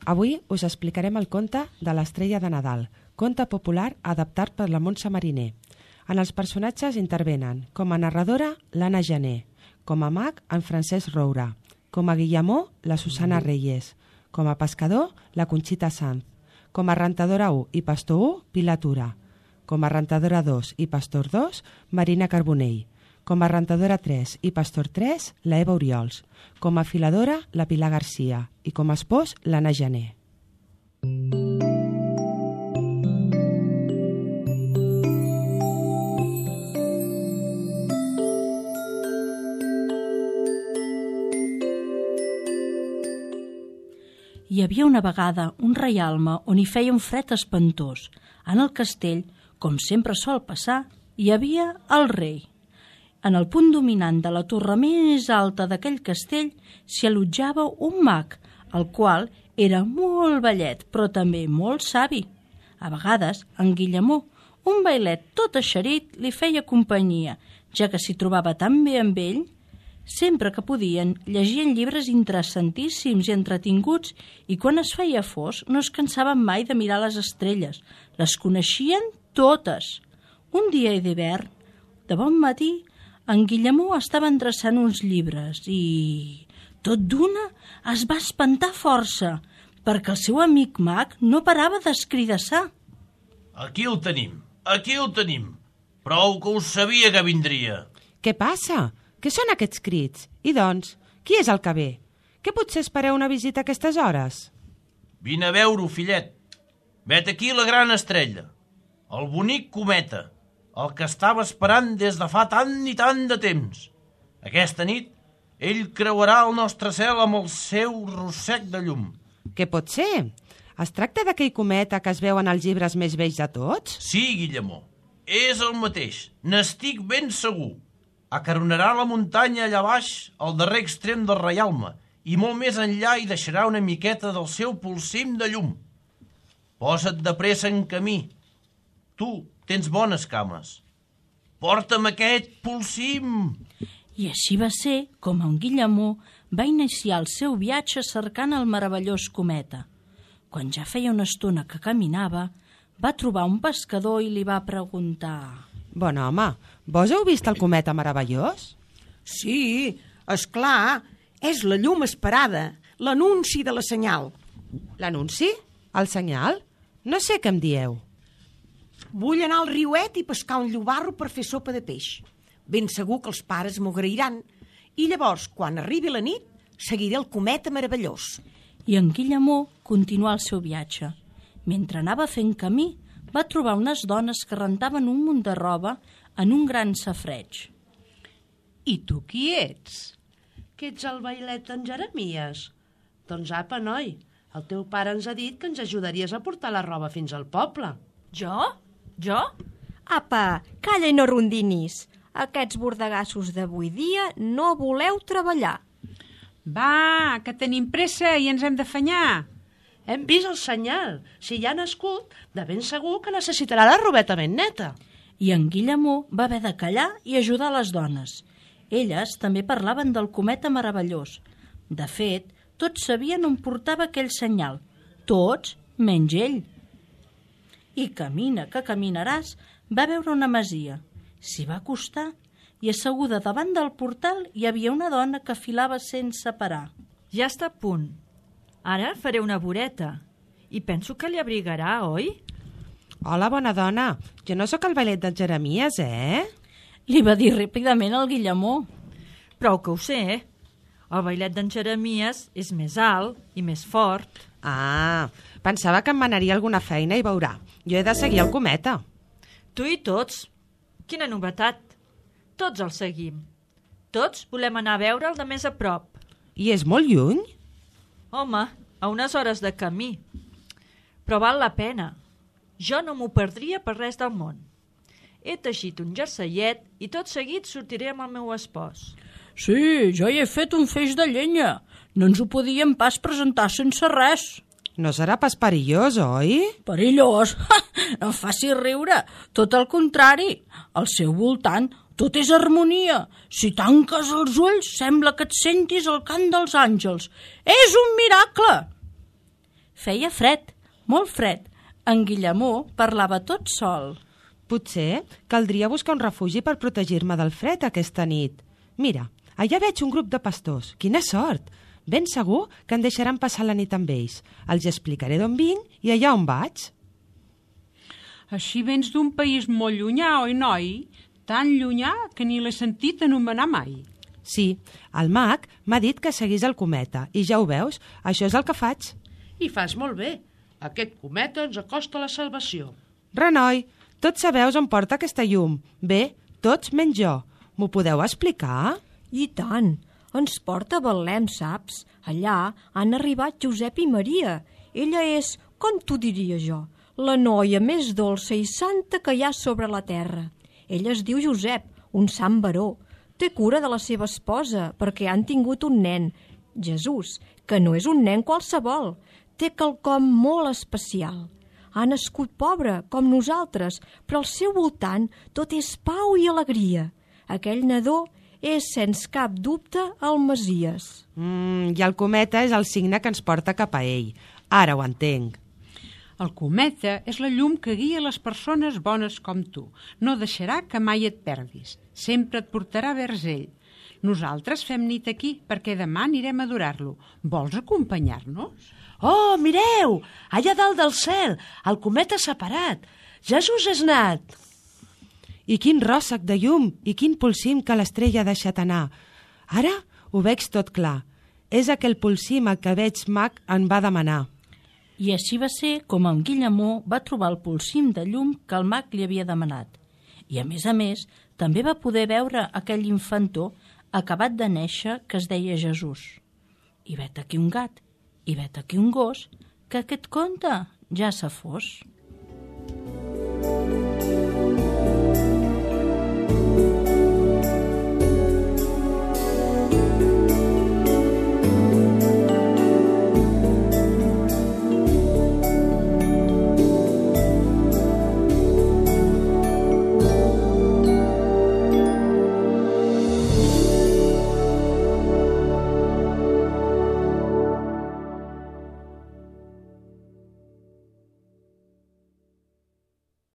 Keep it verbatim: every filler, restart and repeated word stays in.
Avui us explicarem el conte de l'Estrella de Nadal, conte popular adaptat per la Montse Mariner. En els personatges intervenen com a narradora l'Anna Gené, com a mag en Francesc Roura, com a Guillemó la Susana Reyes, com a pescador la Conxita Sanz, com a rentadora u i pastor u Pilar Tura, com a rentadora dos i pastor dos Marina Carbonell, com a rentadora tres i pastor tres la Eva Oriols, com a filadora la Pilar Garcia i com a espòs l'Anna Gené. Hi havia una vegada un reialme on hi feia un fred espantós. En el castell, com sempre sol passar, hi havia el rei. En el punt dominant de la torre més alta d'aquell castell s'hi allotjava un mag, el qual era molt vellet, però també molt savi. A vegades, en Guillemó, un vailet tot eixerit, li feia companyia, ja que s'hi trobava tan bé amb ell. Sempre que podien, llegien llibres interessantíssims i entretinguts i quan es feia fosc no es cansaven mai de mirar les estrelles. Les coneixien totes. Un dia d'hivern, de bon matí, en Guillemó estava endreçant uns llibres i, tot d'una, es va espantar força perquè el seu amic mag no parava d'escridassar. Aquí el tenim, aquí el tenim. Prou que ho sabia que vindria. Què passa? Què són aquests crits? I doncs, qui és el que ve? Que potser espereu una visita a aquestes hores? Vine a veure-ho, fillet. Vet aquí la gran estrella, el bonic cometa, el que estava esperant des de fa tant i tant de temps. Aquesta nit, ell creuarà el nostre cel amb el seu rossec de llum. Què pot ser? Es tracta d'aquell cometa que es veu en els llibres més vells de tots? Sí, Guillemó, és el mateix, n'estic ben segur. Acaronarà la muntanya allà baix, al darrer extrem del reialme, i molt més enllà hi deixarà una miqueta del seu polsim de llum. Posa't de pressa en camí. Tu tens bones cames. Porta'm aquest polsim. I així va ser com en Guillemó va iniciar el seu viatge cercant el meravellós cometa. Quan ja feia una estona que caminava, va trobar un pescador i li va preguntar... Bon home, vos heu vist el cometa meravellós? Sí, és clar, és la llum esperada, l'anunci de la senyal. L'anunci? El senyal? No sé què em dieu. Vull anar al riuet i pescar un llobarro per fer sopa de peix. Ben segur que els pares m'ho agrairan. I llavors, quan arribi la nit, seguiré el cometa meravellós. I en Guillemó continuà el seu viatge. Mentre anava fent camí, va trobar unes dones que rentaven un munt de roba en un gran safareig. I tu qui ets? Que ets el vailet d'en Jeremies? Doncs apa, noi, el teu pare ens ha dit que ens ajudaries a portar la roba fins al poble. Jo? Jo? Apa, calla i no rondinis. Aquests bordegassos d'avui dia no voleu treballar. Va, que tenim pressa i ens hem d'afanyar. Hem vist el senyal. Si ja ha nascut, de ben segur que necessitarà la robeta ben neta. I en Guillemó va haver de callar i ajudar les dones. Elles també parlaven del cometa meravellós. De fet, tots sabien on portava aquell senyal. Tots, menys ell. I camina que caminaràs, va veure una masia. S'hi va acostar i asseguda davant del portal hi havia una dona que filava sense parar. Ja està a punt. Ara faré una voreta i penso que li abrigarà, oi? Hola, bona dona. Jo no sóc el vailet d'en Jeremies, eh? Li va dir ràpidament al Guillemó. Prou que ho sé, eh? El vailet d'en Jeremies és més alt i més fort. Ah, pensava que em manaria alguna feina i veurà. Jo he de seguir el cometa. Tu i tots. Quina novetat. Tots el seguim. Tots volem anar a veure'l de més a prop. I és molt lluny? Home, a unes hores de camí. Però val la pena. Jo no m'ho perdria per res del món. He teixit un jerseillet i tot seguit sortiré amb el meu espòs. Sí, jo hi he fet un feix de llenya. No ens ho podíem pas presentar sense res. No serà pas perillós, oi? Perillós? No em faci riure. Tot el contrari. Al seu voltant tot és harmonia. Si tanques els ulls, sembla que et sentis el cant dels àngels. És un miracle! Feia fred, molt fred. En Guillemó parlava tot sol. Potser caldria buscar un refugi per protegir-me del fred aquesta nit. Mira, allà veig un grup de pastors. Quina sort! Ben segur que em deixaran passar la nit amb ells. Els explicaré d'on vinc i allà on vaig. Així vens d'un país molt llunyà, oi, noi? Tan llunyà que ni l'he sentit anomenar mai. Sí, el mag m'ha dit que seguís el cometa i ja ho veus, això és el que faig. I fas molt bé. Aquest cometa ens acosta a la salvació. Renoi, tots sabeu on porta aquesta llum. Bé, tots menys jo. M'ho podeu explicar? I tant. Ens porta a Betlem, saps? Allà han arribat Josep i Maria. Ella és, com t'ho diria jo, la noia més dolça i santa que hi ha sobre la terra. Ell es diu Josep, un sant baró. Té cura de la seva esposa perquè han tingut un nen, Jesús, que no és un nen qualsevol. Té quelcom molt especial. Ha nascut pobre, com nosaltres, però al seu voltant tot és pau i alegria. Aquell nadó és, sens cap dubte, el Messies. Mm, I el cometa és el signe que ens porta cap a ell. Ara ho entenc. El cometa és la llum que guia les persones bones com tu. No deixarà que mai et perdis. Sempre et portarà vers ell. Nosaltres fem nit aquí perquè demà anirem a adorar-lo. Vols acompanyar-nos? Oh, mireu! Allà dalt del cel, el cometa s'ha parat. Jesús és nat. I quin ròssec de llum i quin polsim que l'estrella ha deixat anar. Ara ho veig tot clar. És aquell polsim el que veig mag en va demanar. I així va ser com en Guillemó va trobar el polsim de llum que el mag li havia demanat. I a més a més, també va poder veure aquell infantó acabat de néixer que es deia Jesús. I vet aquí un gat, i vet aquí un gos, que aquest conte ja s'ha fos.